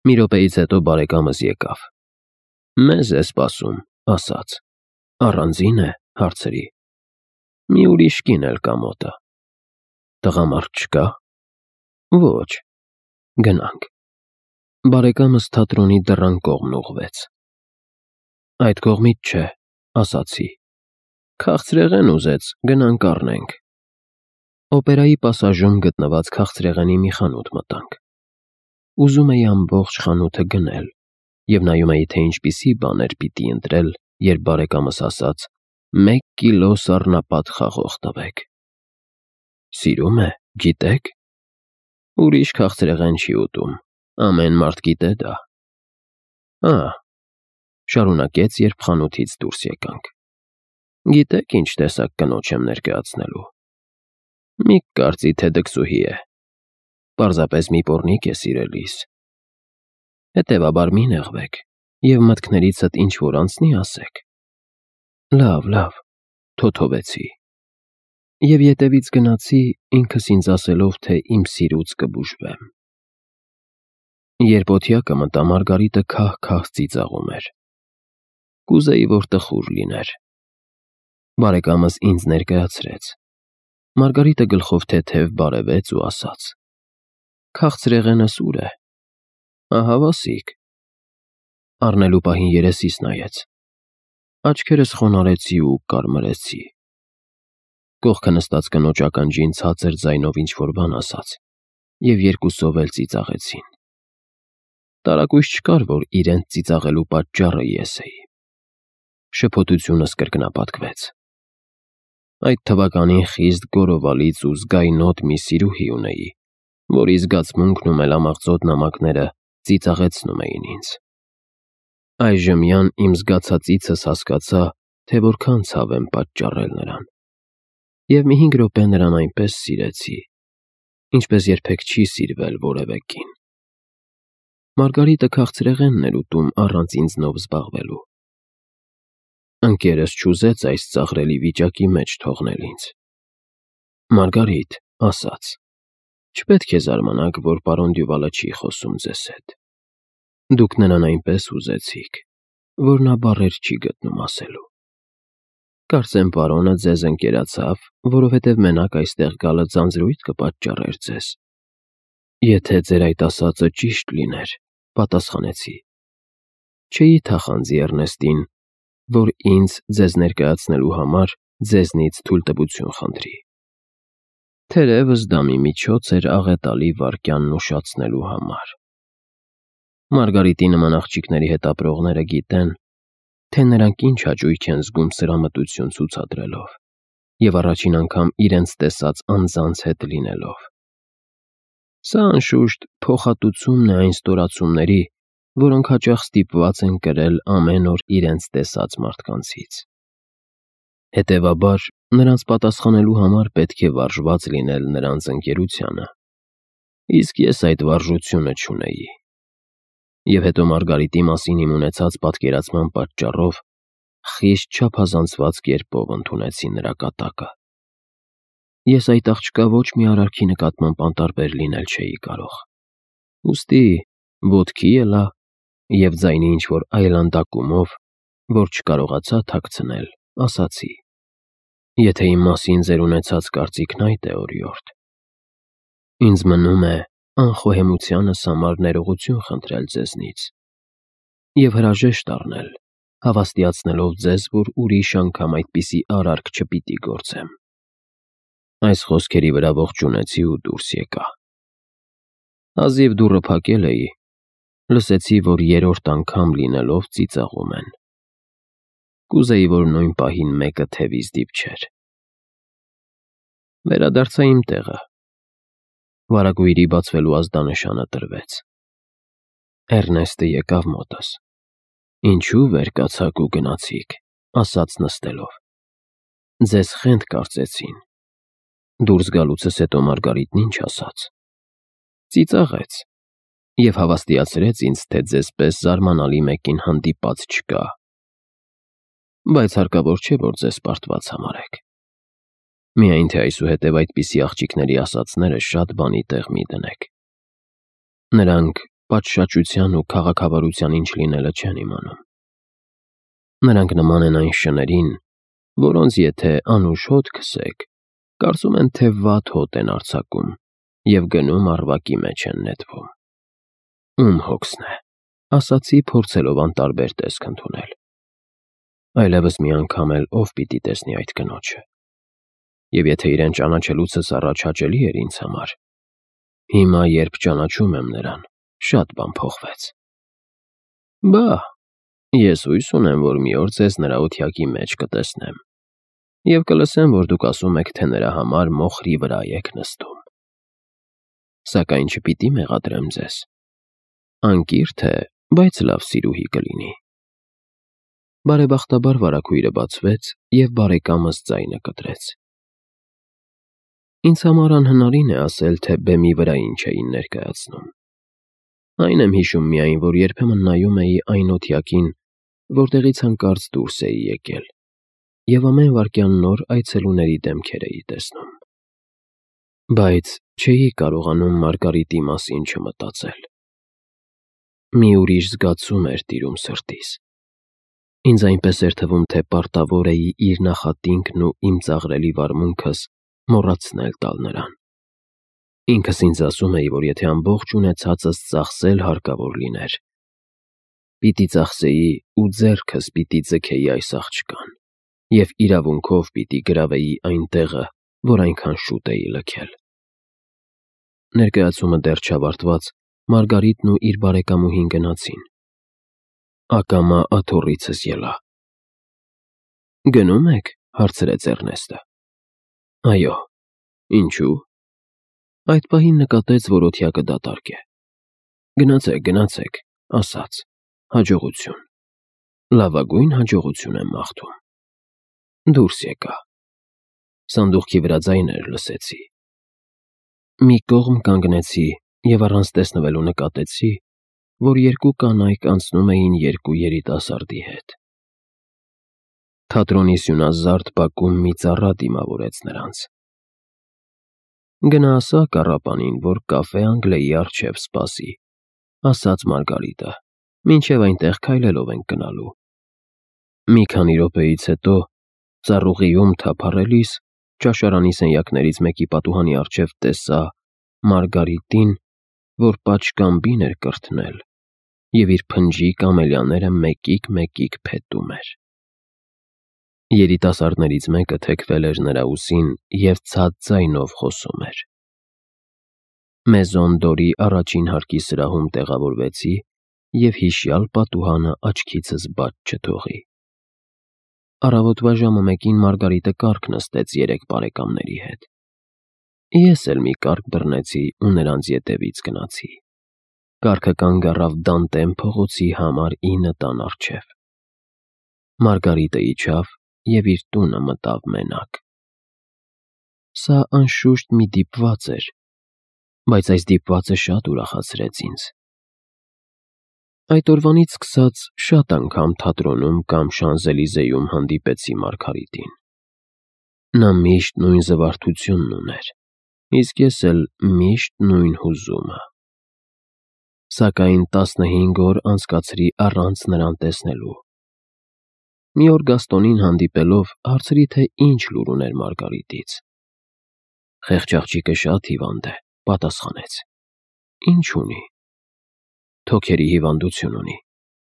Մի րոպեից հետո բարեկամս եկավ։ Մեզ է սպասում, ասաց։ Առանձին է, հարցրի։ Մի ուրիշ կին էլ կա մոտը։ Տղամարդ չկա։ Ոչ, գնանք։ Բարեկամս թատրոնի դռան կողմն ուղղվեց։ Այդ կողմից չէ, ասացի։ Քաղցրեղեն ուզեց, գնանք առնենք։ Օպերայի պասաժում գտնված քաղցրեղենի մի խանութ մտանք։ Ուզում էի ամբողջ խանութը գնել, և նայում էի, թե ինչպիսի բաներ պիտի ընտրել, երբ բարեկամս ասաց. 1 կիլո սառնապատ խաղող տվեք։ Սիրում է, գիտեք։ Ուրիշ քաղցրեղեն չի ուտում, ամեն մարդ գիտե դա։ Շարունակեց, երբ խանութից դուրս եկանք։ Գիտեք ինչ տեսակ կնոջ եմ ներկայացնելու։ Մի կարծի, թե դքսուհի է։ Պարզապես մի պոռնիկ է սիրելիս։ Հետևաբար մի նեղվեք, և մտքներիցդ ինչ-որ անցնի ասեք։ Լավ, թոթովեցի։ Եվ ետևից գնացի, ինքս ինձ ասելով, թե իմ սիրուց կբուժվեմ։ Երբ օթյակը մտա, Մարգարիտը քահ-քահ ծիծաղում էր։ Կուզեի, որ տխուր լիներ։ Բարեկամս ինձ ներկայացրեց։ Մարգարիտը գլխով թեթև բարևեց ու ասաց. Քաղցրեղենը սուր է։ Ահա վասիկ։ Առնելու պահին երեսիս նայեց։ Աչքերս խոնարհեցի ու կարմրեցի։ Կողքը նստած կնոջ ականջին ցածր ձայնով ինչ-որ բան ասաց, և երկուսով էլ ծիծաղեցին։ Տարակույս չկար, որ իրենց ծիծաղելու պատճառը ես էի։ Շփոթությունս կրկնապատկվեց։ Այդ թվականին խիստ գոռովալից ու զգայնոտ մի սիրուհի ունեի, որի զգացմունքն ու մելամաղձոտ նամակները ծիծաղեցնում էին ինձ։ Այժմյան իմ զգացածիցս հասկացա, թե որքան ցավ եմ պատճառել նրան։ Եվ մի 5 րոպե նրան այնպես սիրեցի, ինչպես երբեք չի սիրվել որևէ կին։ Մարգարիտը քաղցրեղենն էր ուտում առանց ինձնով զբաղվելու։ Ընկերս չուզեց այս ծաղրելի վիճակի մեջ թողնել ինձ։ Մարգարիտ, ասաց. Չպետք է զարմանաք, որ պարոն Դյուվալը չի խոսում ձեզ հետ։ Դուք նրան այնպես ուզեցիք, որ նա բառեր չի գտնում ասելու։ Կարծեմ պարոնը ձեզ ընկերացավ, որովհետև մենակ այստեղ գալը ձանձրույթ կպատճառեր ձեզ։ Եթե ձեր այդ ասածը ճիշտ լիներ, պատասխանեցի, չէի թախանձի Էռնեստին, որ ինձ ձեզ ներկայացնելու համար ձեզնից թույլտվություն խնդրի։ Թերևս դա մի միջոց էր աղետալի վայրկյանն ուշացնելու համար։ Մարգարիտի նման աղջիկների հետ ապրողները գիտեն, թե նրանք ինչ հաճույք են զգում սրամտություն ցուցադրելով և առաջին անգամ իրենց տեսած անձանց հետ լինելով։ Սա անշուշտ փոխհատուցումն է այն ստորացումների, որոնք հաճախ ստիպված են կրել ամեն օր իրենց տեսած մարդկանցից։ Հետևաբար, նրանց պատասխանելու համար պետք է վարժված լինել նրանց ընկերությանը, իսկ ես այդ վարժությունը չունեի։ Եվ հետո Մարգարիտի մասին իմ ունեցած պատկերացման պատճառով խիստ չափազանցված կերպով ընդունեցի նրա կատակը։ Ես այդ աղջկա ոչ մի արարքի նկատմամբ անտարբեր լինել չէի կարող։ Ուստի ոտքի ելա և ձայնի ինչ-որ այլանդակումով, որ չկարողացա թաքցնել, ասացի. Եթե իմ մասին ձեր ունեցած կարծիքն այդ է, օրիորդ, ինձ մնում է անխոհեմությանս համար ներողություն խնդրել ձեզնից և հրաժեշտ առնել, հավաստիացնելով ձեզ, որ ուրիշ անգամ այդպիսի արարք չպիտի գործեմ։ Այս խոսքերի վրա ողջունեցի ու դուրս եկա։ Հազիվ դուռը փակել էի, լսեցի, որ 3-րդ անգամ լինելով ծիծաղում են։ Կուզեի, որ նույն պահին մեկը թևիս դիպչեր։ Վերադարձա իմ տեղը։ Վարագույրի բացվելու ազդանշանը տրվեց։ Էռնեստը եկավ մոտս։ Ինչու վեր կացաք ու գնացիք, ասաց նստելով։ Ձեզ խենթ կարծեցին։ Դուրս գալուցս հետո Մարգարիտն ինչ ասաց։ Ծիծաղեց և հավաստիացրեց ինձ, թե ձեզպես զարմանալի մեկին հանդիպած չկա։ Բայց հարկավոր չէ, որ ձեզ պարտված համարեք։ Միայն թե այսուհետև այդպիսի աղջիկների ասածները շատ բանի տեղ մի դնեք։ Նրանք պատշաճության ու քաղաքավարության ինչ լինելը չեն իմանում։ Նրանք նման են այն շներին, որոնց եթե անուշ հոտ քսեք, կարծում են, թե վատ հոտ են արձակում և գնում առվակի մեջ են նետվում։ Ում հոգսն է, ասացի փորձելով անտարբեր տեսք ընդունել։ Այլևս մի անգամ էլ ով պիտի տեսնի այդ կնոջը։ Եվ եթե իրեն ճանաչելուցս առաջ հաճելի էր ինձ համար, հիմա երբ ճանաչում եմ նրան, շատ բան փոխվեց։ Բա, ես հույս ունեմ, որ մի օր ձեզ նրա օթյակի մեջ կտեսնեմ և կլսեմ, որ դուք ասում եք, թե նրա համար մոխրի վրա եք նստում։ Սակայն չպիտի մեղադրեմ ձեզ։ Անկիրթ է, բայց լավ սիրուհի կլինի։ Բարեբախտաբար վարագույրը բացվեց և բարեկամս ձայնը կտրեց։ Ինձ համար անհնարին է ասել, թե բեմի վրա ինչ էին ներկայացնում։ Այն եմ հիշում միայն, որ երբեմն նայում էի այն օթյակին, որտեղից հանկարծ դուրս էի եկել, և ամեն վայրկյան նոր այցելուների դեմքեր էի տեսնում։ Բայց չէի կարողանում Մարգարիտի մասին չմտածել։ Մի ուրիշ զգացում էր տիրում սրտիս։ Ինձ այնպես էր թվում, թե պարտավոր էի իր նախատինքն ու իմ ծաղրելի վարմունքս մոռացնել տալ նրան։ Ինքս ինձ ասում էի, որ եթե ամբողջ ունեցածս ծախսել հարկավոր լիներ, պիտի ծախսեի ու ձեռքս պիտի ձգեի այս աղջկան և իրավունքով պիտի գրավեի այն տեղը, որ այնքան շուտ էի լքել։ Ներկայացումը դեռ չավարտված, Մարգարիտն ու իր բարեկամուհին գնացին։ Ակամա աթոռիցս ելա։ «Գնում եք», հարցրեց Էռնեստը։ Այո։ Ինչու՞։ Այդ պահին նկատեց, որ օթյակը դատարկ է։ Գնացեք, գնացեք, ասաց, հաջողություն։ Լավագույն հաջողություն եմ մաղթում։ Դուրս եկա։ Սանդուղքի վրա ձայներ լսեցի։ Մի կողմ կանգնեցի և առանց տեսնվելու նկատեցի, որ երկու կանայք անցնում էին երկու երիտասարդի հետ։ Թատրոնի սյունազարդ բակում մի ծառա դիմավորեց նրանց։ Գնա ասա կառապանին, որ կաֆե Անգլիայի առջև սպասի, ասաց Մարգարիտը, մինչև այնտեղ քայլելով ենք գնալու։ Մի քանի րոպեից հետո, ծառուղիում թափառելիս, ճաշարանի սենյակներից մեկի պատուհանի առջև տեսա Մարգարիտին, որ պատշգամբին էր կրթնել և իր փնջիկ ամելիաները մեկիկ փետում էր։ Երիտասարդներից մեկը թեքվել էր նրա ուսին և ցած ձայնով խոսում էր։ Մեզոն դորի առաջին հարկի սրահում տեղավորվեցի և հիշյալ պատուհանը աչքիցս բաց չթողի։ Առավոտվա ժամը 1-ին Մարգարիտը կառք նստեց 3 բարեկամների հետ։ Ես էլ մի կառք բռնեցի ու նրանց ետևից գնացի։ Կառքը կանգ առավ Դանտեն փողոցի համար 9 տան առջև։ Մարգարիտը իջավ և իր տունը մտավ մենակ։ Սա անշուշտ մի դիպված էր, բայց այս դիպվածը շատ ուրախացրեց ինձ։ Այդ օրվանից սկսած շատ անգամ թատրոնում կամ Շանզելիզեում հանդիպեցի Մարգարիտին։ Նա միշտ նույն զվարթությունն ուներ, իսկ ես էլ միշտ նույն հուզումը։ Սակայն 15 օր անցկացրի առանց նրան տեսնելու։ Մի օր Գաստոնին հանդիպելով հարցրի, թե ինչ լուր ուներ Մարգարիտից։ Խեղճ աղջիկը շատ հիվանդ է, պատասխանեց։ Ինչ ունի։ Թոքերի հիվանդություն ունի,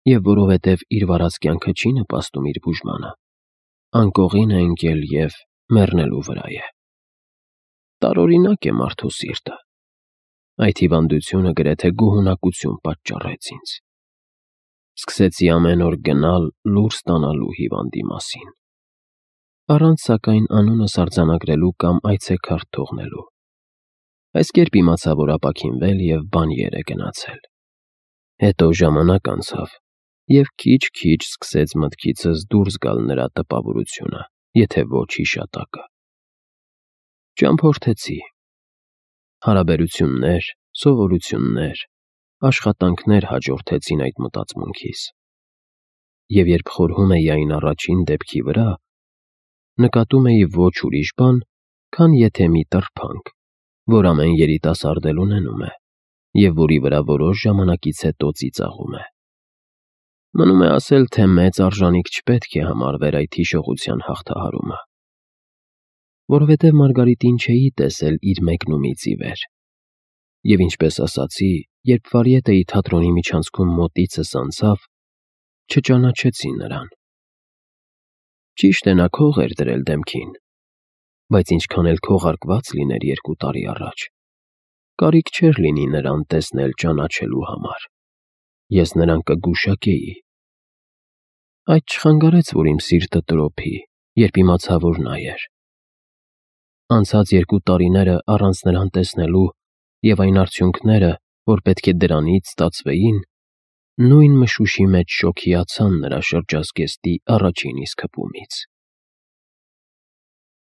և որովհետև իր վարած կյանքը չի նպաստում իր բուժմանը, անկողին է ընկել և մեռնելու վրա է։ Տարօրինակ է մարդու սիրտը։ Այդ հիվանդությունը գրեթե գոհունակություն պատճառեց ինձ։ Սկսեցի ամեն օր գնալ լուր ստանալու հիվանդի մասին, առանց սակայն անունս արձանագրելու կամ այցեքարտ թողնելու։ Այս կերպ իմացա, որ ապաքինվել և բանիեր է գնացել։ Հետո ժամանակ անցավ, և քիչ-քիչ սկսեց մտքիցս դուրս գալ նրա տպավորությունը, եթե ոչ հիշատակը։ Ճամփորդեցի։ Հարաբերություններ, սովորություններ, աշխատանքներ հաջորդեցին այդ մտածմունքիս։ Եվ երբ խորհում էի այն առաջին դեպքի վրա, նկատում էի ոչ ուրիշ բան, քան եթե մի տրփանք, որ ամեն երիտասարդ էլ ունենում է, և որի վրա որոշ ժամանակից հետո ծիծաղում է։ Մնում է ասել, թե մեծ արժանիք չպետք է համարվեր այդ հիշողության հաղթահարումը, որովհետև Մարգարիտին չէի տեսել իր մեկնումից ի վեր, և ինչպես ասացի, երբ վարիետեի թատրոնի միջանցքում մոտիցս անցավ, չճանաչեցի նրան։ Ճիշտ է, նա քող էր դրել դեմքին, բայց ինչքան էլ քողարկված լիներ 2 տարի առաջ, կարիք չէր լինի նրան տեսնել-ճանաչելու համար։ Ես նրան կգուշակեի։ Այդ չխանգարեց, որ իմ սիրտը տրոփի, երբ իմացա, որ նա էր։ Անցած 2 տարիները առանց նրան տեսնելու և այն արդյունքները, որ պետք է դրանից ստացվեին, նույն մշուշի մեջ շոգիացան նրա շրջազգեստի առաջին իսկ հպումից։